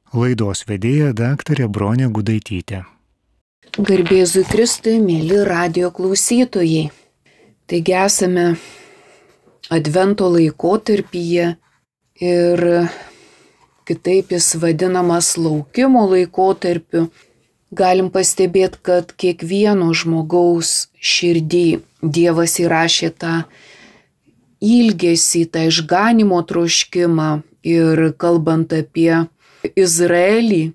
Laidos vedėja daktarė Bronė Gudaitytė. Garbėzui Kristui, mėly radijo klausytojai. Taigi esame Advento laikotarpyje ir kitaip jis vadinamas laukimo laikotarpiu. Galim pastebėti, kad kiekvieno žmogaus širdį Dievas įrašė tą ilgesį, tą išganimo troškimą. Ir kalbant apie Izraelį,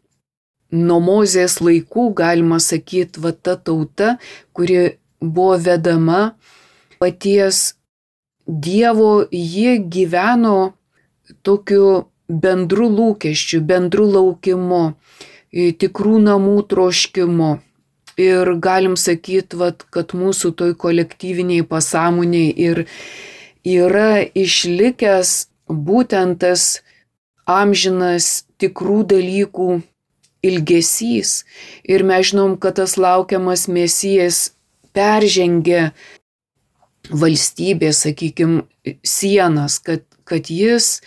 nuo Mozės laikų, galima sakyti, va ta tauta, kuri buvo vedama paties Dievo, jie gyveno tokiu bendru lūkesčiu, bendru laukimu, tikrų namų troškimu. Ir galim sakyti, kad mūsų toj kolektyviniai pasąmoniai ir yra išlikęs būtent tas amžinas tikrų dalykų ilgesys. Ir mes žinom, kad tas laukiamas Mesijas peržengė valstybės, sakykime, sienas, kad jis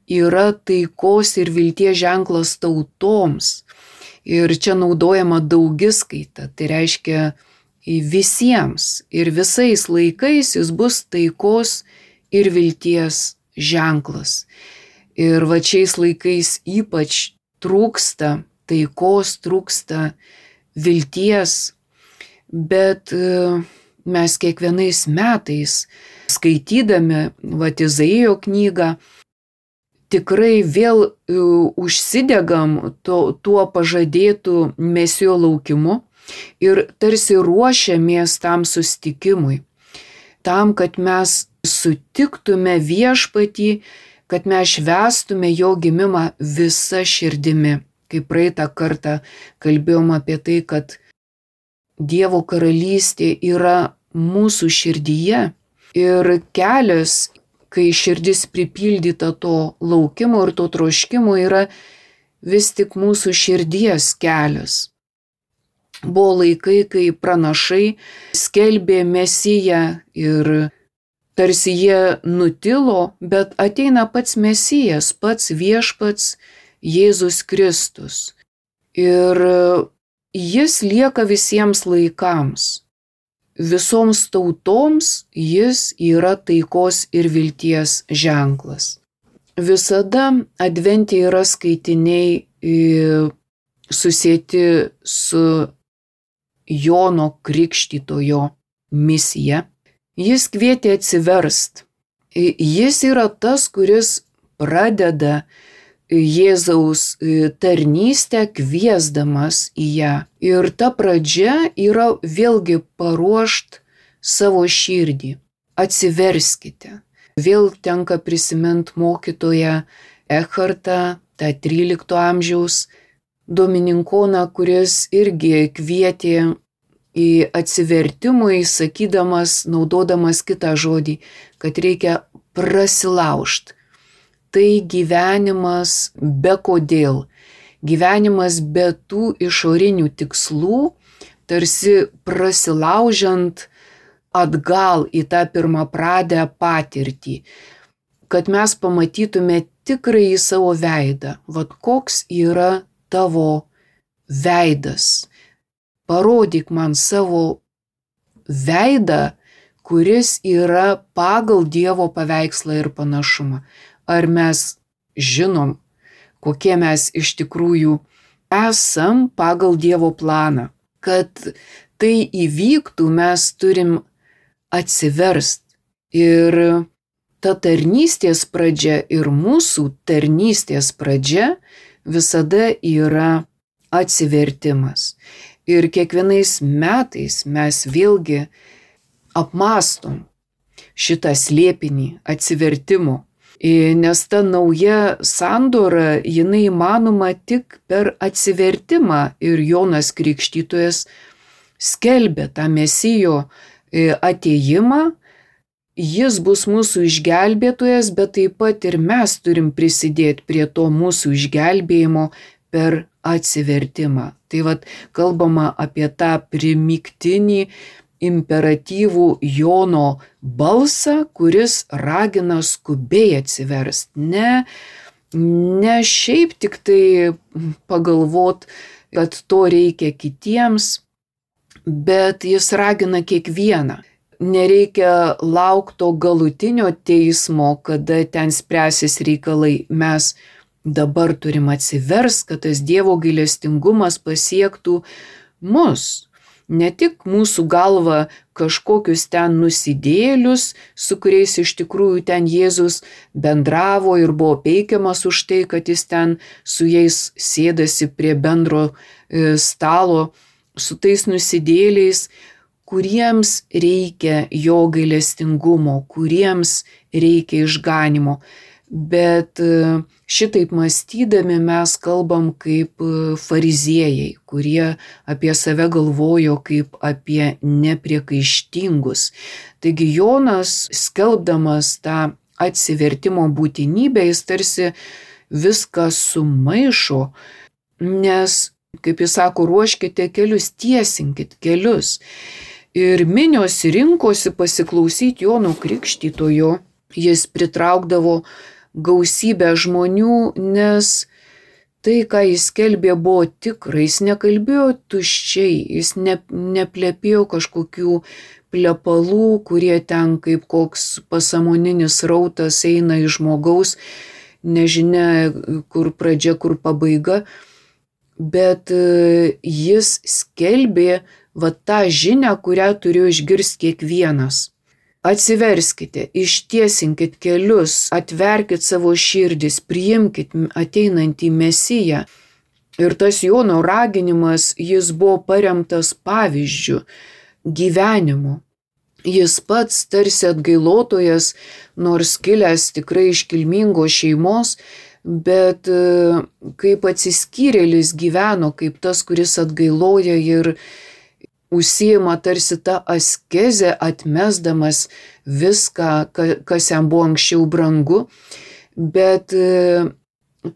yra taikos ir vilties ženklas tautoms. Ir čia naudojama daugiskaita, tai reiškia visiems ir visais laikais jis bus taikos ir vilties ženklas. Ir va šiais laikais ypač trūksta taikos, trūksta vilties, bet mes kiekvienais metais, skaitydami Izaijo knygą, tikrai vėl užsidegam tuo pažadėtų Mesijo laukimu ir tarsi ruošiamės tam susitikimui, tam, kad mes sutiktume viešpatį, kad mes švęstume jo gimimą visa širdimi. Kaip praeitą kartą kalbėjom apie tai, kad Dievo karalystė yra mūsų širdyje ir kelias, kai širdis pripildyta to laukimo ir to troškimo, yra vis tik mūsų širdies kelias. Buvo laikai, kai pranašai skelbė Mesiją ir tarsi jie nutilo, bet ateina pats Mesijas, pats viešpats Jėzus Kristus. Ir jis lieka visiems laikams. Visoms tautoms jis yra taikos ir vilties ženklas. Visada Advente yra skaitiniai susieti su Jono Krikštytojo misija. Jis kvietė atsiverst. Jis yra tas, kuris pradeda Jėzaus tarnystę kviesdamas į ją. Ir ta pradžia yra vėlgi paruošt savo širdį. Atsiverskite. Vėl tenka prisiminti mokytoją Echartą, tą 13 amžiaus domininkoną, kuris irgi kvietė į atsivertimui, sakydamas, naudodamas kitą žodį, kad reikia prasilaužt. Tai gyvenimas be kodėl, gyvenimas be tų išorinių tikslų, tarsi prasilaužiant atgal į tą pirmapradę patirtį, kad mes pamatytume tikrąjį savo veidą, koks yra tavo veidas. Parodyk man savo veidą, kuris yra pagal Dievo paveikslą ir panašumą. Ar mes žinom, kokie mes iš tikrųjų esam pagal Dievo planą. Kad tai įvyktų, mes turim atsiverst. Ir ta tarnystės pradžia ir mūsų tarnystės pradžia visada yra atsivertimas. Ir kiekvienais metais mes vėlgi apmąstom šitą slėpinį atsivertimo. Nes ta nauja sandora, jinai įmanoma tik per atsivertimą. Ir Jonas Krikštytojas skelbė tą Mesijo atėjimą. Jis bus mūsų išgelbėtojas, bet taip pat ir mes turim prisidėti prie to mūsų išgelbėjimo per atsivertimą. Tai kalbama apie tą primygtinį imperatyvų Jono balsą, kuris ragina skubiai atsiverst. Ne Ne šiaip tik tai pagalvot, kad to reikia kitiems, bet jis ragina kiekvieną. Nereikia laukti to galutinio teismo, kada ten spręsis reikalai. Mes dabar turim atsiverst, kad tas Dievo gailestingumas pasiektų mus. Ne tik mūsų galva kažkokius ten nusidėlius, su kuriais iš tikrųjų ten Jėzus bendravo ir buvo peikiamas už tai, kad jis ten su jais sėdasi prie bendro stalo, su tais nusidėliais, kuriems reikia jo gailestingumo, kuriems reikia išganimo. Bet šitaip mąstydami mes kalbam kaip fariziejai, kurie apie save galvojo kaip apie nepriekaištingus. Taigi Jonas, skelbdamas tą atsivertimo būtinybę, jis tarsi viską sumaišo, nes, kaip jis sako, ruoškite kelius, tiesinkit kelius. Ir minios rinkosi pasiklausyti Jono Krikštytojo, jis pritraukdavo gausybę žmonių, nes tai, ką jis skelbė, buvo tikra, jis nekalbėjo tuščiai, jis neplepėjo kažkokių plepalų, kurie ten kaip koks pasąmoninis rautas eina iš žmogaus, nežinia kur pradžia, kur pabaiga, bet jis skelbė va tą žinią, kurią turėjo išgirsti kiekvienas. Atsiverskite, ištiesinkit kelius, atverkit savo širdis, priimkit ateinantį Mesiją. Ir tas Jono raginimas, jis buvo paremtas pavyzdžiu, gyvenimu. Jis pats tarsi atgailotojas, nors kilęs tikrai iš kilmingos šeimos, bet kaip atsiskyrėlis gyveno, kaip tas, kuris atgailoja ir užsiima tarsi tą askezę, atmesdamas viską, kas jam buvo anksčiau brangu, bet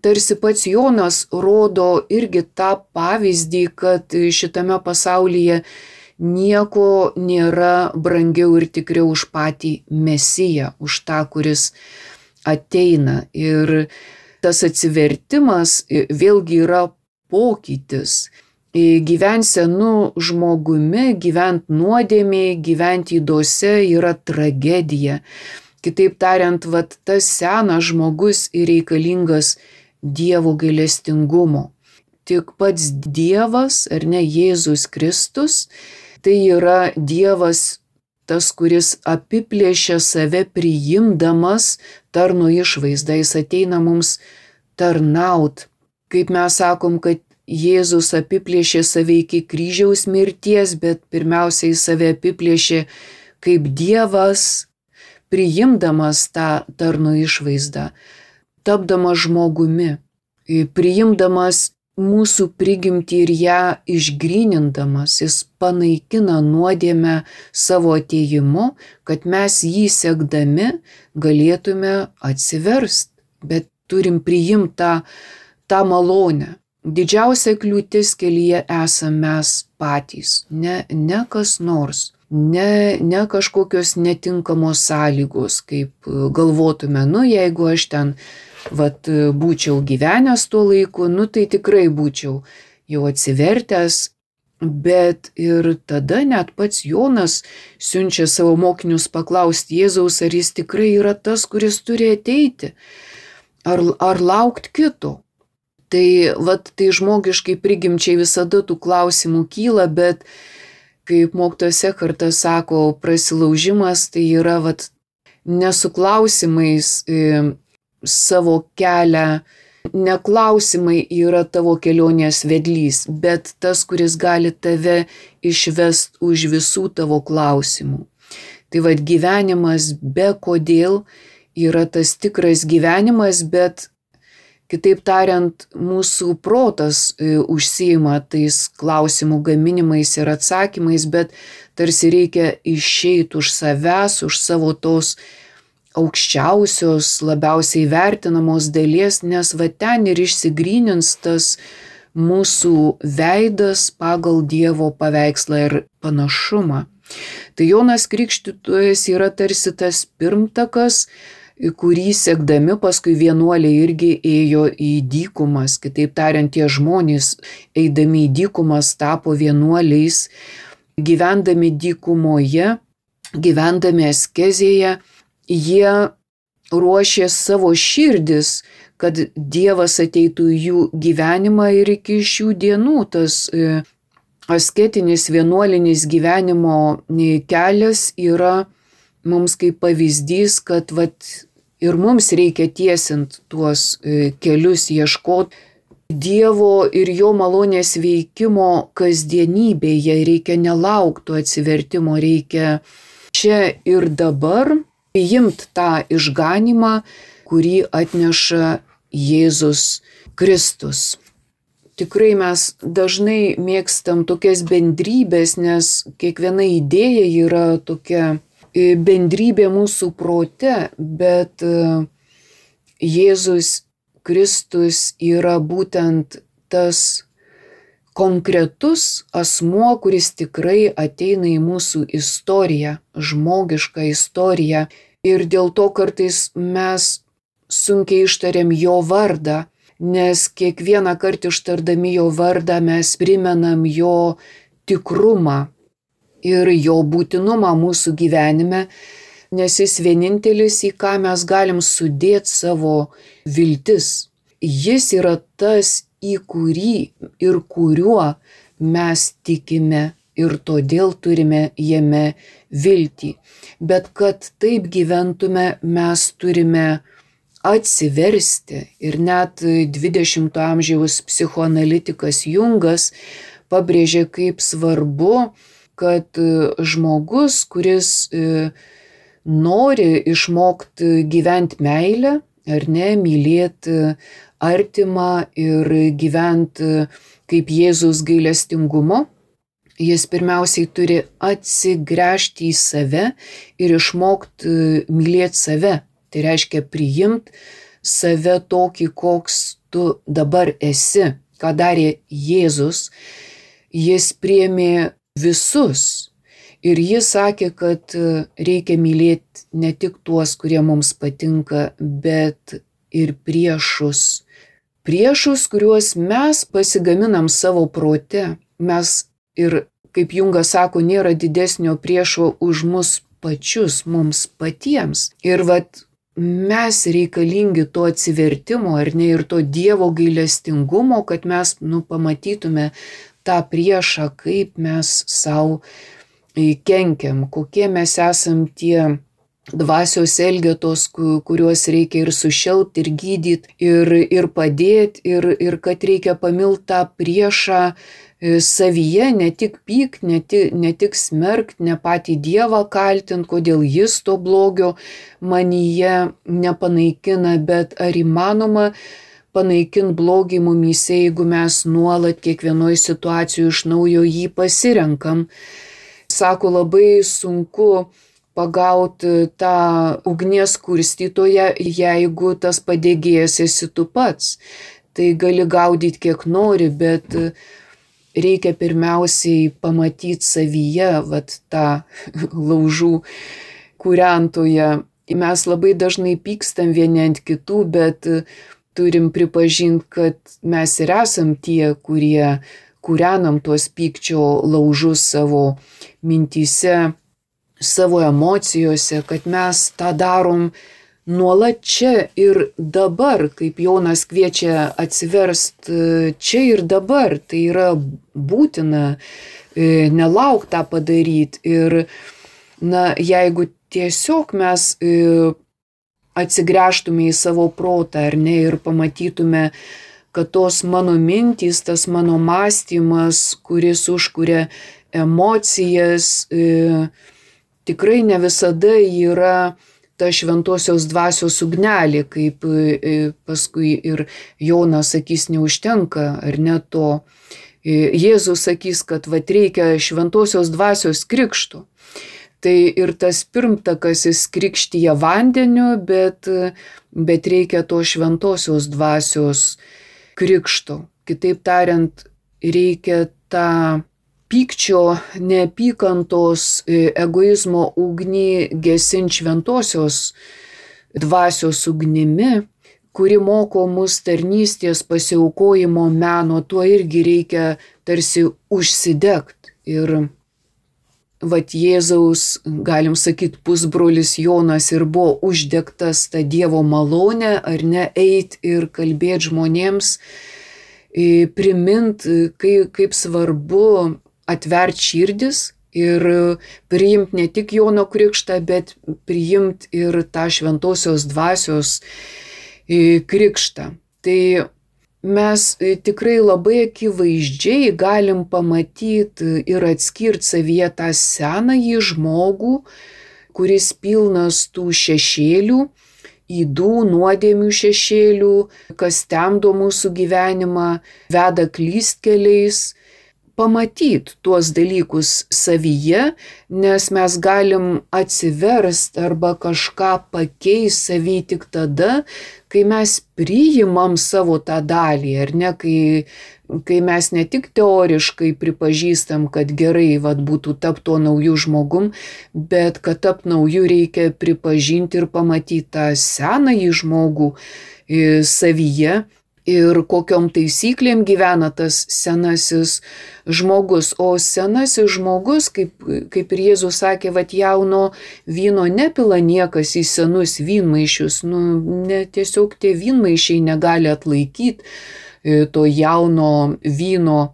tarsi pats Jonas rodo irgi tą pavyzdį, kad šitame pasaulyje nieko nėra brangiau ir tikriau už patį Mesiją, už tą, kuris ateina. Ir tas atsivertimas vėlgi yra pokytis. Gyvent senu žmogumi, gyvent nuodėmėje, gyvent ydose yra tragedija. Kitaip tariant, vat tas senas žmogus ir reikalingas Dievo gailestingumo. Tik pats Dievas, ar ne, Jėzus Kristus, tai yra Dievas tas, kuris apiplėšia save priimdamas tarno išvaizdą. Jis ateina mums tarnaut. Kaip mes sakom, kad Jėzus apiplėšė save iki kryžiaus mirties, bet pirmiausiai save apiplėšė kaip Dievas, priimdamas tą tarno išvaizdą, tapdamas žmogumi, priimdamas mūsų prigimtį ir ją išgrynindamas, jis panaikina nuodėmę savo atėjimu, kad mes jį sekdami galėtume atsiverst, bet turim priimti tą malonę. Didžiausia kliūtis kelyje esame mes patys, ne kas nors, ne kažkokios netinkamos sąlygos, kaip galvotume, jeigu aš ten būčiau gyvenęs tuo laiku, tai tikrai būčiau jau atsivertęs, bet ir tada net pats Jonas siunčia savo mokinius paklausti Jėzaus, ar jis tikrai yra tas, kuris turi ateiti, ar laukti kito. Tai žmogiškai prigimčiai visada tų klausimų kyla, bet kaip mokytojas Ekhartas sako, prasilaužimas tai yra nesu klausimais savo kelią, neklausimai yra tavo kelionės vedlys, bet tas, kuris gali tave išvest už visų tavo klausimų. Tai gyvenimas be kodėl yra tas tikras gyvenimas, bet kitaip tariant, mūsų protas užsiima tais klausimų gaminimais ir atsakymais, bet tarsi reikia išeiti už savęs, už savo tos aukščiausios, labiausiai vertinamos dalies, nes ten ir išsigrynins tas mūsų veidas pagal Dievo paveikslą ir panašumą. Tai Jonas Krikštytojas yra tarsi tas pirmtakas, kurį sekdami paskui vienuoliai irgi ėjo į dykumas. Kitaip tariant, tie žmonės eidami į dykumas tapo vienuoliais, gyvendami dykumoje, gyvendami askezėje, jie ruošė savo širdis, kad Dievas ateitų į jų gyvenimą ir iki šių dienų tas asketinis vienuolinis gyvenimo kelias yra mums kaip pavyzdys, kad ir mums reikia tiesint tuos kelius, ieškoti Dievo ir jo malonės veikimo kasdienybėje. Reikia nelaukti atsivertimo, reikia čia ir dabar priimti tą išganymą, kurį atneša Jėzus Kristus. Tikrai mes dažnai mėgstam tokias bendrybės, nes kiekviena idėja yra tokia bendrybė mūsų prote, bet Jėzus Kristus yra būtent tas konkretus asmuo, kuris tikrai ateina į mūsų istoriją, žmogišką istoriją. Ir dėl to kartais mes sunkiai ištariam jo vardą, nes kiekvieną kartą ištardami jo vardą mes primenam jo tikrumą ir jo būtinumą mūsų gyvenime, nes jis vienintelis, į ką mes galim sudėti savo viltis. Jis yra tas, į kurį ir kuriuo mes tikime ir todėl turime jame viltį. Bet kad taip gyventume, mes turime atsiversti. Ir net 20-ojo amžiaus psichoanalitikas Jungas pabrėžė, kaip svarbu, kad žmogus, kuris nori išmokti gyventi meilę, ar ne, mylėti artimą ir gyventi kaip Jėzus gailestingumo, jis pirmiausiai turi atsigręžti į save ir išmokti mylėti save. Tai reiškia priimti save tokį, koks tu dabar esi. Ką darė Jėzus? Jis priėmė visus. Ir jis sakė, kad reikia mylėti ne tik tuos, kurie mums patinka, bet ir priešus. Priešus, kuriuos mes pasigaminam savo prote. Mes ir, kaip Jungas sako, nėra didesnio priešo už mus pačius, mums patiems. Ir mes reikalingi to atsivertimo, ar ne, ir to Dievo gailestingumo, kad mes pamatytume tą priešą, kaip mes savo kenkiam, kokie mes esam tie dvasios elgetos, kuriuos reikia ir sušelpti, ir gydyti, ir padėti, ir kad reikia pamilti tą priešą savyje, ne tik pykt, ne tik smerkt, ne patį Dievą kaltint, kodėl jis to blogio manyje nepanaikina, bet ar įmanoma panaikinti blogį mumyse, jeigu mes nuolat kiekvienoje situacijoje iš naujo jį pasirenkam. Sako, labai sunku pagauti tą ugnies kurstytoją, jeigu tas padegėjas esi tu pats. Tai gali gaudyti kiek nori, bet reikia pirmiausiai pamatyti savyje tą laužų kūrentoją. Mes labai dažnai pykstam vieni ant kitų, bet turim pripažinti, kad mes ir esam tie, kurie kūrenam tuos pykčio laužus savo mintyse, savo emocijose, kad mes tą darom nuolat čia ir dabar, kaip Jonas kviečia atsiverst čia ir dabar. Tai yra būtina, nelauk tą padaryti. Ir jeigu tiesiog mes atsigręžtume į savo protą, ar ne, ir pamatytume, kad tos mano mintys, tas mano mąstymas, kuris užkuria emocijas, tikrai ne visada yra ta šventosios dvasios ugnelė, kaip paskui ir Jonas sakys, neužtenka, ar ne to. Jėzus sakys, kad reikia šventosios dvasios krikšto. Tai ir tas pirmtakas jis krikštyja vandeniu, bet reikia to šventosios dvasios krikšto. Kitaip tariant, reikia tą pykčio, neapykantos, egoizmo ugnį gesinti šventosios dvasios ugnimi, kuri moko mus tarnystės pasiaukojimo meno, tuo irgi reikia tarsi užsidegt. Ir vat Jėzaus, galim sakyti, pusbrolis Jonas ir buvo uždegtas tą Dievo malonę, ar ne, eit ir kalbėti žmonėms, primint, kaip svarbu atvert širdis ir priimti ne tik Jono krikštą, bet priimti ir tą šventosios dvasios krikštą. Tai mes tikrai labai akivaizdžiai galim pamatyti ir atskirti savyje tą senąjį žmogų, kuris pilnas tų šešėlių, ydų, nuodėmių šešėlių, kas temdo mūsų gyvenimą, veda klystkeliais. Pamatyti tuos dalykus savyje, nes mes galim atsiverst arba kažką pakeisti savy tik tada, kai mes priimam savo tą dalį, ar ne, kai mes ne tik teoriškai pripažįstam, kad gerai būtų tapti tuo nauju žmogum, bet kad tapt nauju reikia pripažinti ir pamatyti tą senąjį žmogų savyje. Ir kokiom taisyklėm gyvena tas senasis žmogus. O senasis žmogus, kaip ir Jėzus sakė, jauno vyno nepila niekas į senus vynmaišius. Tiesiog tie vynmaišiai negali atlaikyti to jauno vyno.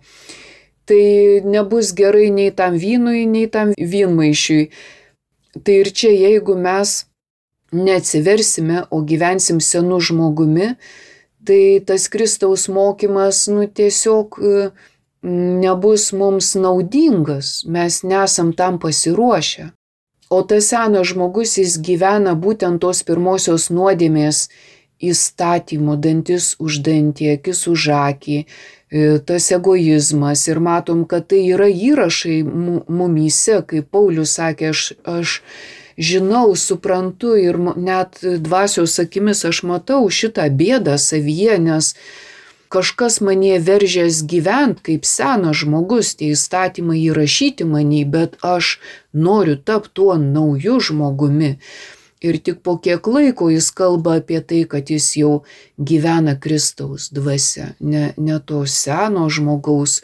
Tai nebus gerai nei tam vynui, nei tam vynmaišiui. Tai ir čia, jeigu mes neatsiversime, o gyvensim senu žmogumi, tai tas Kristaus mokymas tiesiog nebus mums naudingas, mes nesam tam pasiruošę. O tas senas žmogus, jis gyvena būtent tos pirmosios nuodėmės įstatymu, dantis už dantį, akis už akį, tas egoizmas. Ir matom, kad tai yra įrašai mumyse, kaip Paulius sakė, aš žinau, suprantu ir net dvasios akimis aš matau šitą bėdą savyje, nes kažkas manie veržės gyventi kaip senas žmogus, tie įstatymai įrašyti manį, bet aš noriu tapti tuo nauju žmogumi. Ir tik po kiek laiko jis kalba apie tai, kad jis jau gyvena Kristaus dvasia, ne to seno žmogaus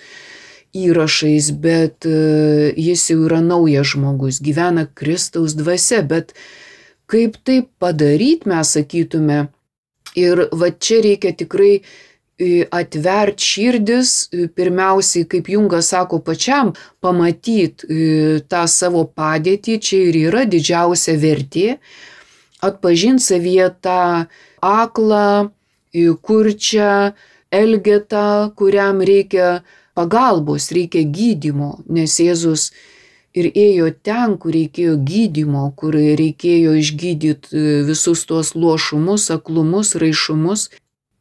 įrašais, bet jis jau yra naujas žmogus, gyvena Kristaus dvasia, bet kaip tai padaryti, mes sakytume, ir čia reikia tikrai atvert širdis, pirmiausiai, kaip Jungas sako, pačiam pamatyti tą savo padėtį, čia ir yra didžiausia vertė, atpažinti savyje tą aklą, kurčią elgetą, kuriam reikia pagalbos, reikia gydymo, nes Jėzus ir ėjo ten, kur reikėjo gydymo, kur reikėjo išgydyti visus tuos luošumus, aklumus, raišumus.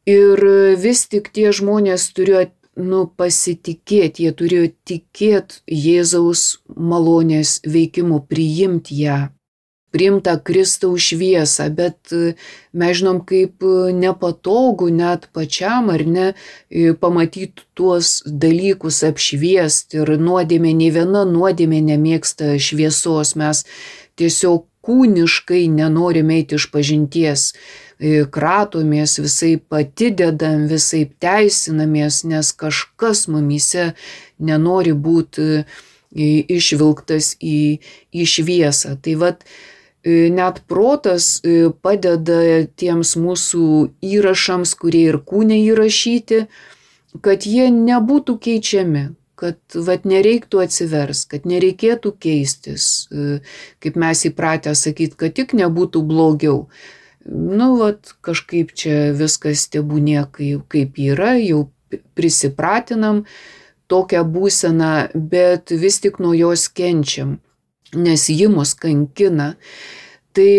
Ir vis tik tie žmonės turėjo pasitikėti, jie turėjo tikėti Jėzaus malonės veikimu, priimti ją, priimti tą Kristaus šviesą, bet mes žinom, kaip nepatogu net pačiam, ar ne, pamatyti tuos dalykus, apšviesti. Ir nuodėmė, nei viena nuodėmė nemėgsta šviesos, mes tiesiog kūniškai nenorime eiti iš pažinties, kratomės, visaip atidedam, visaip teisinamės, nes kažkas mumyse nenori būti išvilktas į šviesą. Tai net protas padeda tiems mūsų įrašams, kurie ir kūne įrašyti, kad jie nebūtų keičiami, kad nereiktų atsivers, kad nereikėtų keistis, kaip mes įpratę sakyti, kad tik nebūtų blogiau. Kažkaip čia viskas tebūnie kaip yra, jau prisipratinam tokią būseną, bet vis tik nuo jos kenčiam, nes ji mus kankina. Tai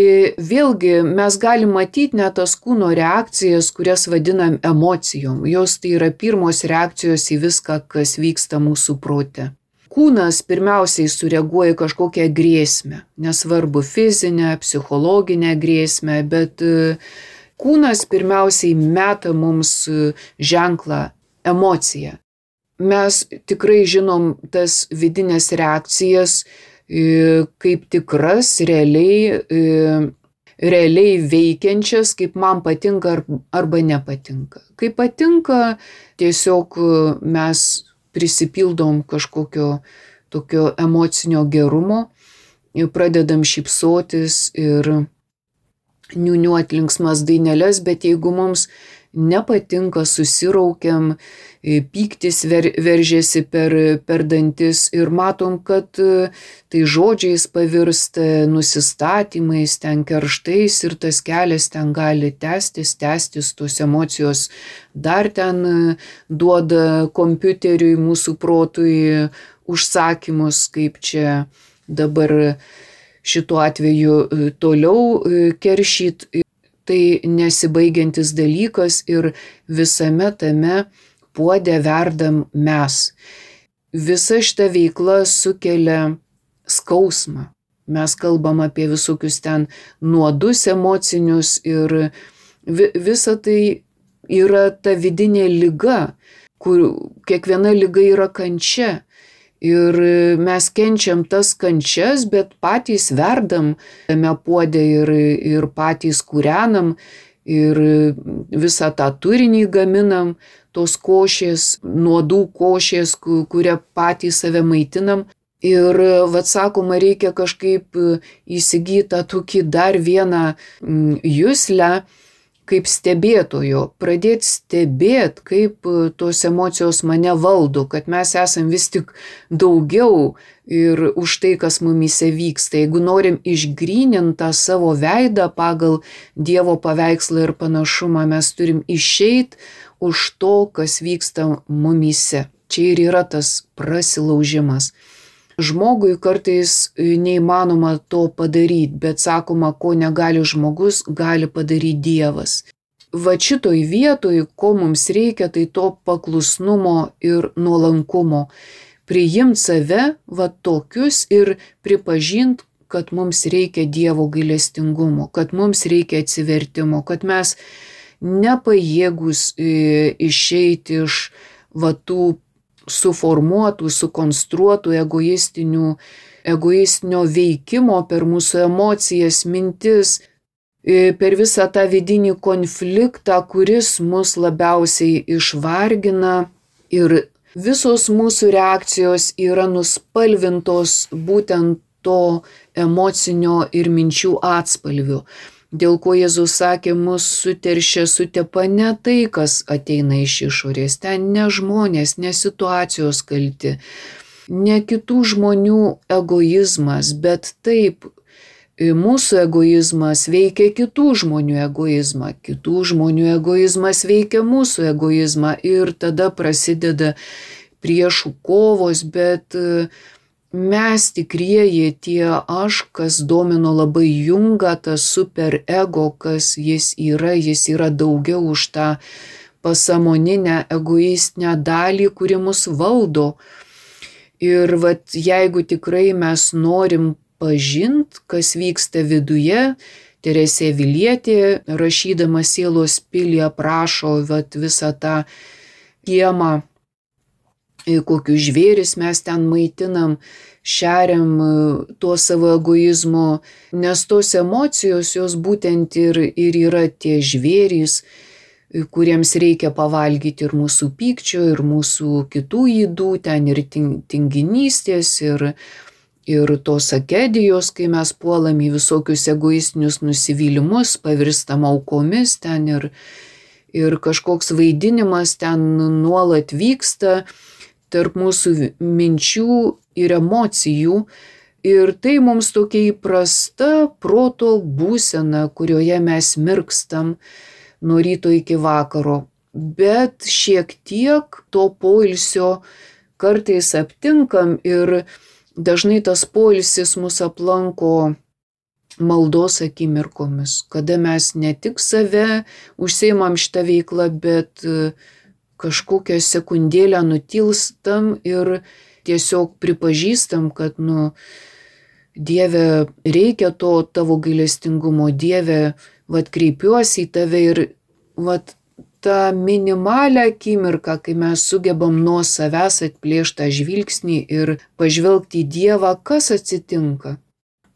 vėlgi mes galim matyti net tas kūno reakcijas, kurias vadinam emocijom. Jos tai yra pirmos reakcijos į viską, kas vyksta mūsų prote. Kūnas pirmiausiai sureaguoja kažkokią grėsmę, nesvarbu fizinę, psichologinę grėsmę, bet kūnas pirmiausiai meta mums ženklą, emociją. Mes tikrai žinom tas vidinės reakcijas kaip tikras, realiai realiai veikiančias, kaip man patinka arba nepatinka. Kai patinka, tiesiog mes prisipildom kažkokio tokio emocinio gerumo, pradedam šypsotis ir niūniuot linksmas daineles, bet jeigu mums nepatinka, susiraukiam, pyktis veržiasi per dantis ir matom, kad tai žodžiais pavirsta, nusistatymais, ten kerštais ir tas kelias ten gali tęstis, tos emocijos dar ten duoda kompiuteriui, mūsų protui užsakymus, kaip čia dabar šituo atveju toliau keršyt. Tai nesibaigiantis dalykas ir visame tame puode verdam mes. Visa šita veikla sukelia skausmą. Mes kalbam apie visokius ten nuodus emocinius ir visa tai yra ta vidinė liga, kur kiekviena liga yra kančia. Ir mes kenčiam tas kančias, bet patys verdam tame puode ir patys kūrenam ir visą tą turinį gaminam, tos košės, nuodų košės, kurią patys save maitinam. Ir, sakoma, reikia kažkaip įsigyti tą tokį dar vieną juslę, kaip stebėtojo, pradėti stebėti, kaip tos emocijos mane valdo, kad mes esam vis tik daugiau ir už tai, kas mumyse vyksta. Jeigu norim išgryninti tą savo veidą pagal Dievo paveikslą ir panašumą, mes turim išeiti už to, kas vyksta mumyse. Čia ir yra tas prasilaužimas. Žmogui kartais neįmanoma to padaryti, bet sakoma, ko negali žmogus, gali padaryti Dievas. Va šitoj vietoj, ko mums reikia, tai to paklusnumo ir nuolankumo. Priimti save, va tokius ir pripažinti, kad mums reikia Dievo gailestingumo, kad mums reikia atsivertimo, kad mes nepajėgus išeiti iš va tų suformuotų, sukonstruotų egoistinio veikimo per mūsų emocijas, mintis, per visą tą vidinį konfliktą, kuris mus labiausiai išvargina ir visos mūsų reakcijos yra nuspalvintos būtent to emocinio ir minčių atspalvių. Dėl ko Jėzus sakė, mus suteršia, sutepa ne tai, kas ateina iš išorės, ten ne žmonės, ne situacijos kalti, ne kitų žmonių egoizmas, bet taip, mūsų egoizmas veikia kitų žmonių egoizmą, kitų žmonių egoizmas veikia mūsų egoizmą ir tada prasideda priešų kovos, bet mes tikrieji tie aš, kas domino labai Jungą, tas superego, kas jis yra daugiau už tą pasąmoninę egoistinę dalį, kuri mus valdo. Ir jeigu tikrai mes norim pažint, kas vyksta viduje, Teresė Avilietė, rašydama Sielos pilį, aprašo visą tą kiemą, kokius žvėris mes ten maitinam, šeriam tuo savo egoizmu, nes tos emocijos jos būtent ir yra tie žvėrys, kuriems reikia pavalgyti ir mūsų pykčio, ir mūsų kitų ydų, ten ir tinginystės, ir tos akedijos, kai mes puolam į visokius egoistinius nusivylimus, pavirstam aukomis ten ir kažkoks vaidinimas ten nuolat vyksta tarp mūsų minčių ir emocijų. Ir tai mums tokia įprasta proto būsena, kurioje mes mirkstam nuo ryto iki vakaro. Bet šiek tiek to poilsio kartais aptinkam ir dažnai tas poilsis mus aplanko maldos akimirkomis, kada mes ne tik save užsiimam šitą veiklą, bet kažkokią sekundėlę nutilstam ir tiesiog pripažįstam, kad Dieve, reikia to tavo gailestingumo, Dieve, kreipiuosi į tave ir tą minimalią akimirką, kai mes sugebam nuo savęs atplėšti tą žvilgsnį ir pažvelgti į Dievą, kas atsitinka.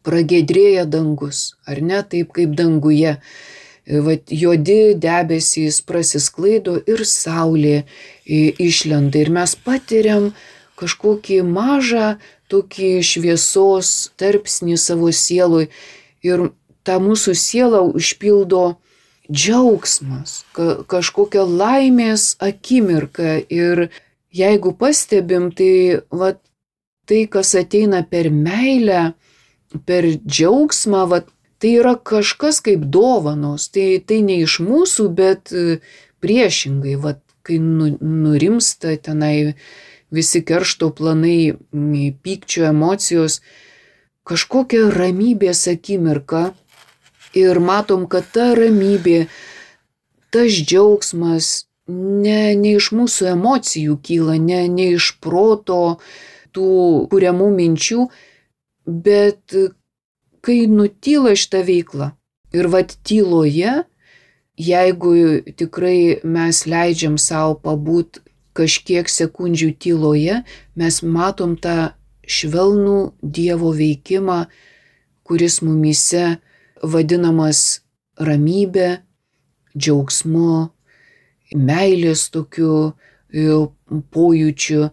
pragiedrėja dangus, ar ne, taip kaip danguje. Vat juodi debesys prasisklaido ir saulė išlenda ir mes patiriam kažkokį mažą tokį šviesos tarpsnį savo sieloj ir tą mūsų sielą užpildo džiaugsmas, kažkokia laimės akimirka ir jeigu pastebim, tai vat, tai, kas ateina per meilę, per džiaugsmą, vat, tai yra kažkas kaip dovanos, tai ne iš mūsų, bet priešingai, vat, kai nurimsta tenai visi keršto planai, pykčio emocijos, kažkokia ramybės akimirka ir matom, kad ta ramybė, tas džiaugsmas ne iš mūsų emocijų kyla, ne iš proto tų kuriamų minčių, bet kai nutyla šitą veiklą. Ir vat tyloje, jeigu tikrai mes leidžiam savo pabūt kažkiek sekundžių tyloje, mes matom tą švelnų Dievo veikimą, kuris mumyse vadinamas ramybė, džiaugsmu, meilės tokiu pojūčiu.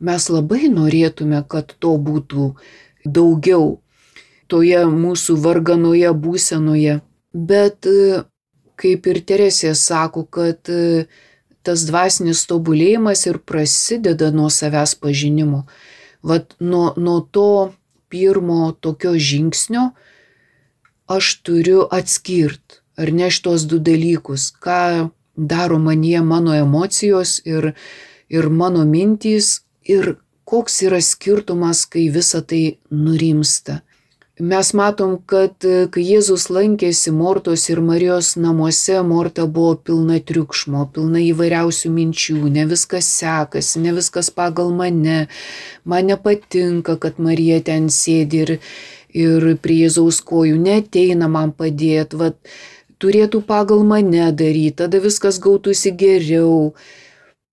Mes labai norėtume, kad to būtų daugiau toje mūsų varganoje būsenoje. Bet kaip ir Teresė sako, kad tas dvasinis tobulėjimas ir prasideda nuo savęs pažinimo. Vat nuo to pirmo tokio žingsnio aš turiu atskirt, ar ne šitos du dalykus, ką daro manyje mano emocijos ir mano mintys ir koks yra skirtumas, kai visa tai nurimsta. Mes matom, kad kai Jėzus lankėsi Mortos ir Marijos namuose, Morta buvo pilna triukšmo, pilna įvairiausių minčių, ne viskas sekasi, ne viskas pagal mane, man nepatinka, kad Marija ten sėdi ir prie Jėzaus kojų, neateina man padėti, vat, turėtų pagal mane daryti, tada viskas gautųsi geriau.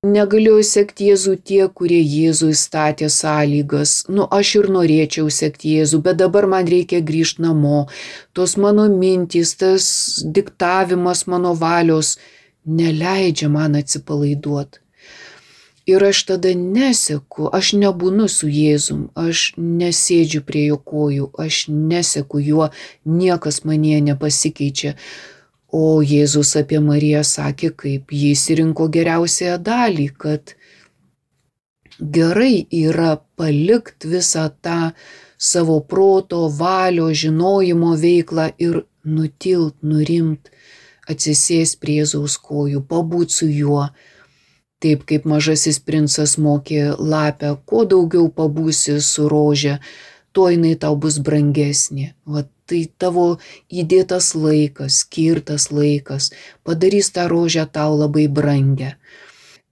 Negalėjo sekti Jėzų tie, kurie Jėzui statė sąlygas. Aš ir norėčiau sekti Jėzų, bet dabar man reikia grįžti namo. Tos mano mintys, tas diktavimas mano valios neleidžia man atsipalaiduoti. Ir aš tada neseku, aš nebūnu su Jėzum, aš nesėdžiu prie jo kojų, aš neseku juo, niekas manyje nepasikeičia. O Jėzus apie Mariją sakė, kaip jis rinko geriausiąją dalį, kad gerai yra palikti visą tą savo proto, valio, žinojimo veiklą ir nutilt, nurimt, atsisės prie Jėzaus kojų, pabūt su juo. Taip kaip mažasis princas mokė lapę, kuo daugiau pabūsi su rože, tuo jinai tau bus brangesnė. Vat tai tavo įdėtas laikas, skirtas laikas, padarys tą rožę tau labai brangę.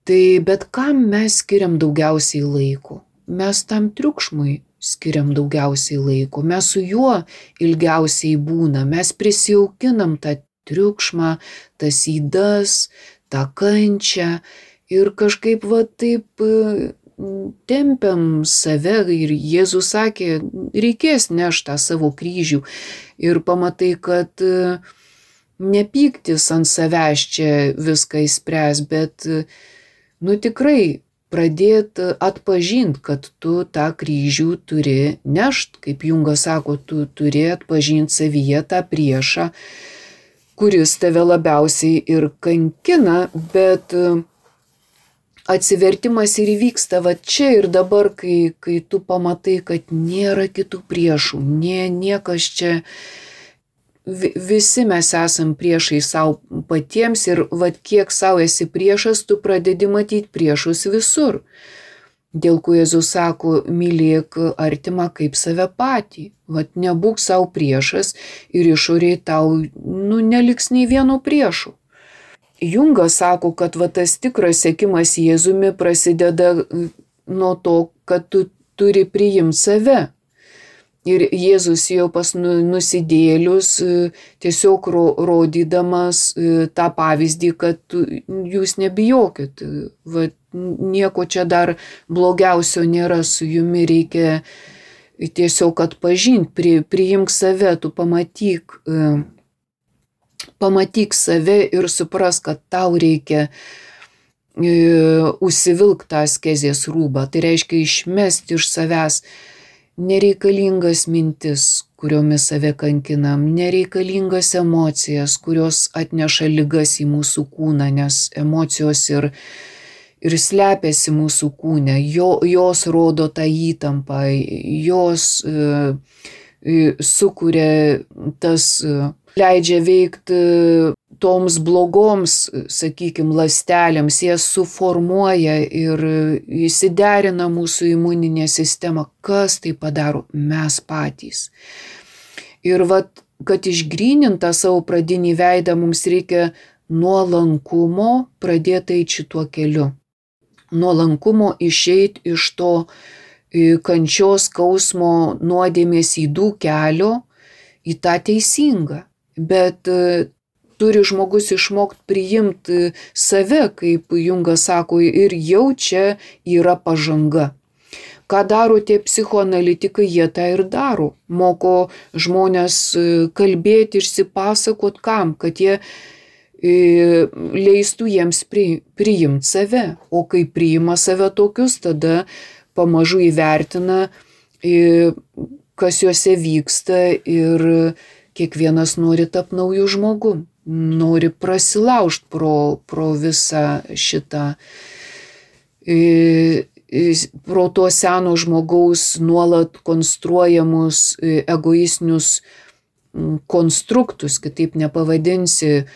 Tai bet kam mes skiriam daugiausiai laiko? Mes tam triukšmui skiriam daugiausiai laiko, mes su juo ilgiausiai būna, mes prisijaukinam tą triukšmą, tas ydas, tą kančią ir kažkaip va taip tempiam save ir Jėzus sakė, reikės nešti tą savo kryžių ir pamatai, kad ne pyktis ant savęs čia viską įspręs, bet tikrai pradėti atpažinti, kad tu tą kryžių turi nešti, kaip Jungas sako, tu turi atpažinti savyje tą priešą, kuris tave labiausiai ir kankina, bet atsivertimas ir įvyksta va čia ir dabar, kai tu pamatai, kad nėra kitų priešų, niekas čia, visi mes esam priešai savo patiems ir va kiek savo esi priešas, tu pradedi matyti priešus visur. Dėl ko Jėzus sako, mylėk artimą kaip save patį, va nebūk savo priešas ir išoriai tau neliks nei vieno priešų. Jungas sako, kad va tas tikras sekimas Jėzumi prasideda nuo to, kad tu turi priimti save. Ir Jėzus jau pas nusidėlius tiesiog rodydamas tą pavyzdį, kad jūs nebijokit. Va, nieko čia dar blogiausio nėra, su jumi reikia tiesiog atpažint, priimk save, tu pamatyk save ir supras, kad tau reikia užsivilk tą askezės rūbą. Tai reiškia išmesti iš savęs nereikalingas mintis, kuriomis save kankinam, nereikalingas emocijas, kurios atneša ligas į mūsų kūną, nes emocijos ir slepiasi mūsų kūne, jos rodo tą įtampą, jos sukuria leidžia veikti toms blogoms, sakykime, ląstelėms, jas suformuoja ir įsiderina mūsų imuninė sistema. Kas tai padaro? Mes patys. Ir kad išgrynintą savo pradinį veidą, mums reikia nuolankumo pradėti eiti šituo keliu. Nuolankumo išeiti iš to kančios, skausmo, nuodėmės ydų kelio į tą teisingą. Bet turi žmogus išmokti priimti save, kaip Jungas sako, ir jau čia yra pažanga. Ką daro tie psichoanalitikai, jie tą ir daro. Moko žmonės kalbėti, išsipasakot kam, kad jie leistų jiems priimti save. O kai priima save tokius, tada pamažu įvertina, kas juose vyksta ir kiekvienas nori tapti naujų žmogų, nori prasilaužti pro visą šitą, pro to seno žmogaus nuolat konstruojamus egoistinius konstruktus, kitaip nepavadinsi.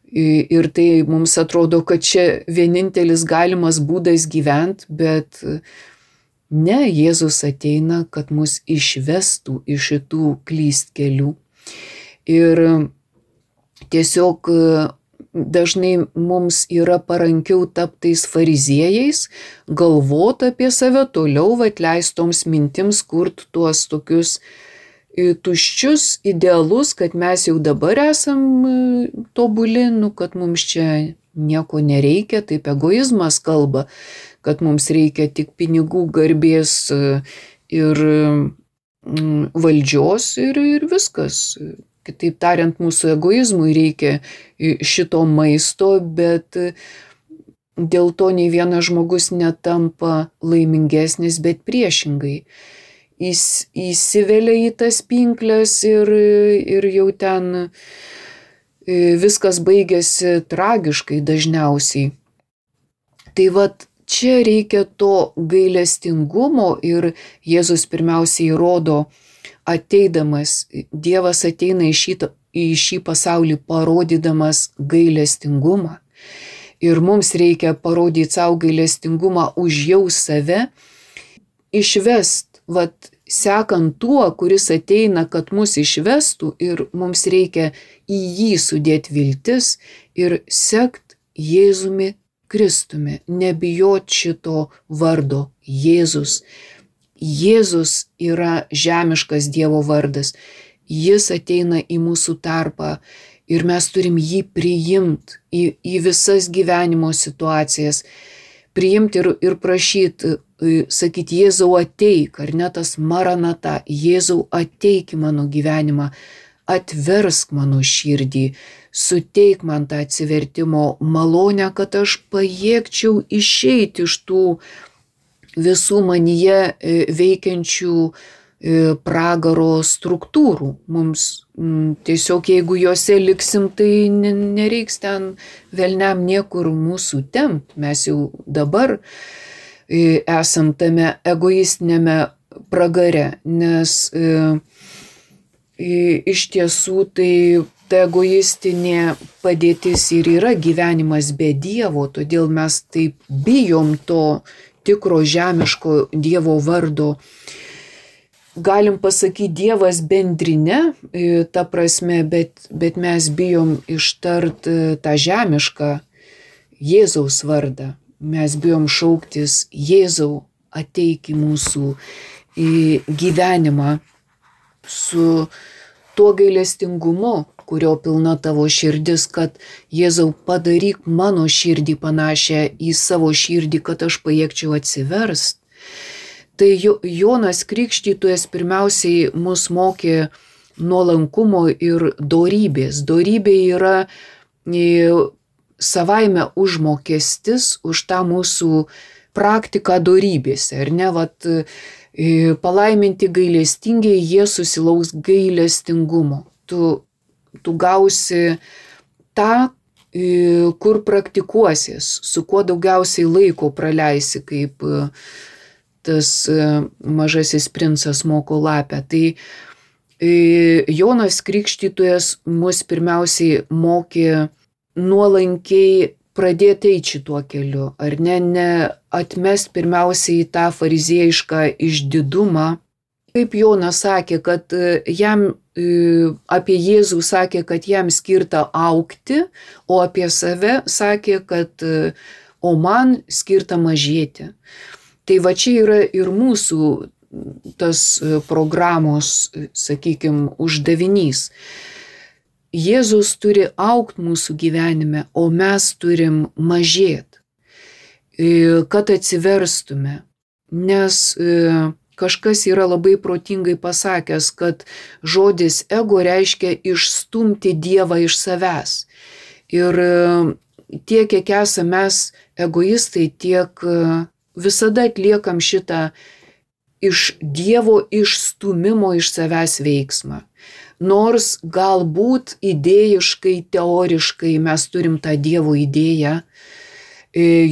Ir tai mums atrodo, kad čia vienintelis galimas būdas gyventi, bet ne, Jėzus ateina, kad mus išvestų iš šitų klystkelių. Ir tiesiog dažnai mums yra parankiau taptais fariziejais, galvot apie save toliau, leistoms mintims kurt tuos tokius tuščius idealus, kad mes jau dabar esam tobuli, kad mums čia nieko nereikia, taip egoizmas kalba, kad mums reikia tik pinigų, garbės ir valdžios ir viskas. Kitaip tariant, mūsų egoizmui reikia šito maisto, bet dėl to nei vienas žmogus netampa laimingesnis, bet priešingai. Įsivelia į tas pinkles ir jau ten viskas baigėsi tragiškai dažniausiai. Tai čia reikia to gailestingumo ir Jėzus pirmiausiai rodo, ateidamas, Dievas ateina į šį pasaulį parodydamas gailestingumą. Ir mums reikia parodyti savo gailestingumą, užjaust save, išvest, sekant tuo, kuris ateina, kad mus išvestų, ir mums reikia į jį sudėti viltis ir sekt Jėzumi Kristumi, nebijot šito vardo Jėzus. Jėzus yra žemiškas Dievo vardas, jis ateina į mūsų tarpą ir mes turim jį priimti į visas gyvenimo situacijas, priimti ir prašyti, sakyti, Jėzau ateik, ar ne tas maranata, Jėzau ateik į mano gyvenimą, atversk mano širdį, suteik man tą atsivertimo malonę, kad aš pajėgčiau išeiti iš tų visų manyje veikiančių pragaro struktūrų. Mums tiesiog, jeigu juose liksim, tai nereiks ten velniam niekur mūsų tempt. Mes jau dabar esam tame egoistinėme pragare, nes iš tiesų tai ta egoistinė padėtis ir yra gyvenimas be Dievo, todėl mes taip bijom to tikro žemiško Dievo vardo. Galim pasakyti Dievas bendrinė, ta prasme, bet mes bijom ištart tą žemišką Jėzaus vardą. Mes bijom šauktis, Jėzau, ateik į mūsų gyvenimą su tuo gailestingumu, kurio pilna tavo širdis, kad Jėzau, padaryk mano širdį panašią į savo širdį, kad aš pajėgčiau atsiverst. Tai Jonas Krikštytojas pirmiausiai mus mokė nuolankumo ir dorybės. Dorybė yra savaime užmokestis už tą mūsų praktiką dorybėse. Ar ne, palaiminti gailestingiai, jie susilauks gailestingumo. Tu gausi tą, kur praktikuosies, su kuo daugiausiai laiko praleisi, kaip tas mažasis princas moko lapę. Tai Jonas Krikštytojas mus pirmiausiai mokė nuolankiai pradėti eiti šituo keliu, ar ne atmest pirmiausiai tą fariziejišką išdidumą. Kaip Jonas sakė, kad jam apie Jėzų sakė, kad jam skirta augti, o apie save sakė, kad o man skirta mažėti. Tai va čia yra ir mūsų tas programos, sakykime, uždavinys. Jėzus turi augti mūsų gyvenime, o mes turim mažėti, kad atsiverstume. Nes kažkas yra labai protingai pasakęs, kad žodis ego reiškia išstumti Dievą iš savęs. Ir tiek, kiek esame mes egoistai, tiek visada atliekam šitą iš Dievo išstumimo iš savęs veiksmą. Nors galbūt idėjiškai, teoriškai mes turim tą Dievo idėją,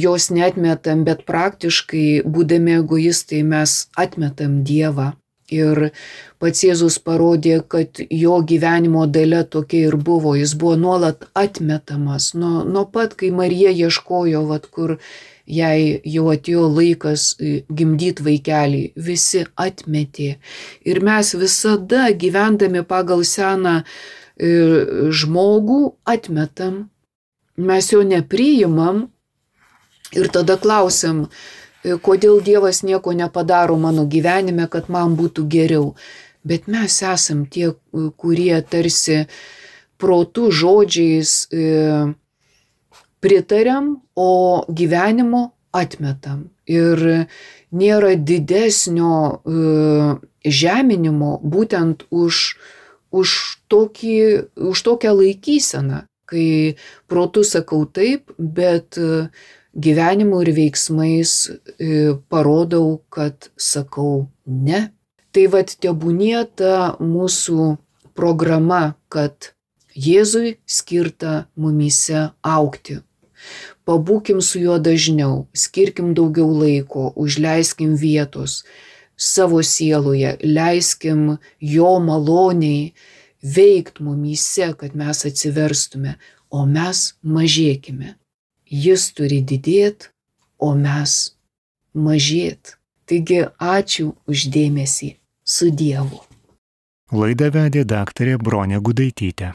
jos neatmetam, bet praktiškai, būdami egoistai, mes atmetam Dievą. Ir pats Jėzus parodė, kad jo gyvenimo dalia tokia ir buvo. Jis buvo nuolat atmetamas. Nuo pat, kai Marija ieškojo, kur jai jau atėjo laikas gimdyti vaikelį, visi atmetė. Ir mes visada, gyvendami pagal seną žmogų, atmetam. Mes jo nepriimam. Ir tada klausiam, kodėl Dievas nieko nepadaro mano gyvenime, kad man būtų geriau. Bet mes esam tie, kurie tarsi protų žodžiais pritariam, o gyvenimo atmetam. Ir nėra didesnio žeminimo būtent už tokią laikyseną, kai protų sakau taip, bet gyvenimu ir veiksmais parodau, kad sakau ne. Tai tebūnie ta mūsų programa, kad Jėzui skirta mumyse augti. Pabūkim su juo dažniau, skirkim daugiau laiko, užleiskim vietos savo sieloje, leiskim jo maloniai veikt mumyse, kad mes atsiverstume, o mes mažėkime. Jis turi didėti, o mes mažėti. Taigi ačiū už dėmesį. Su Dievu. Laidą vedė daktarė Bronė Gudaitytė.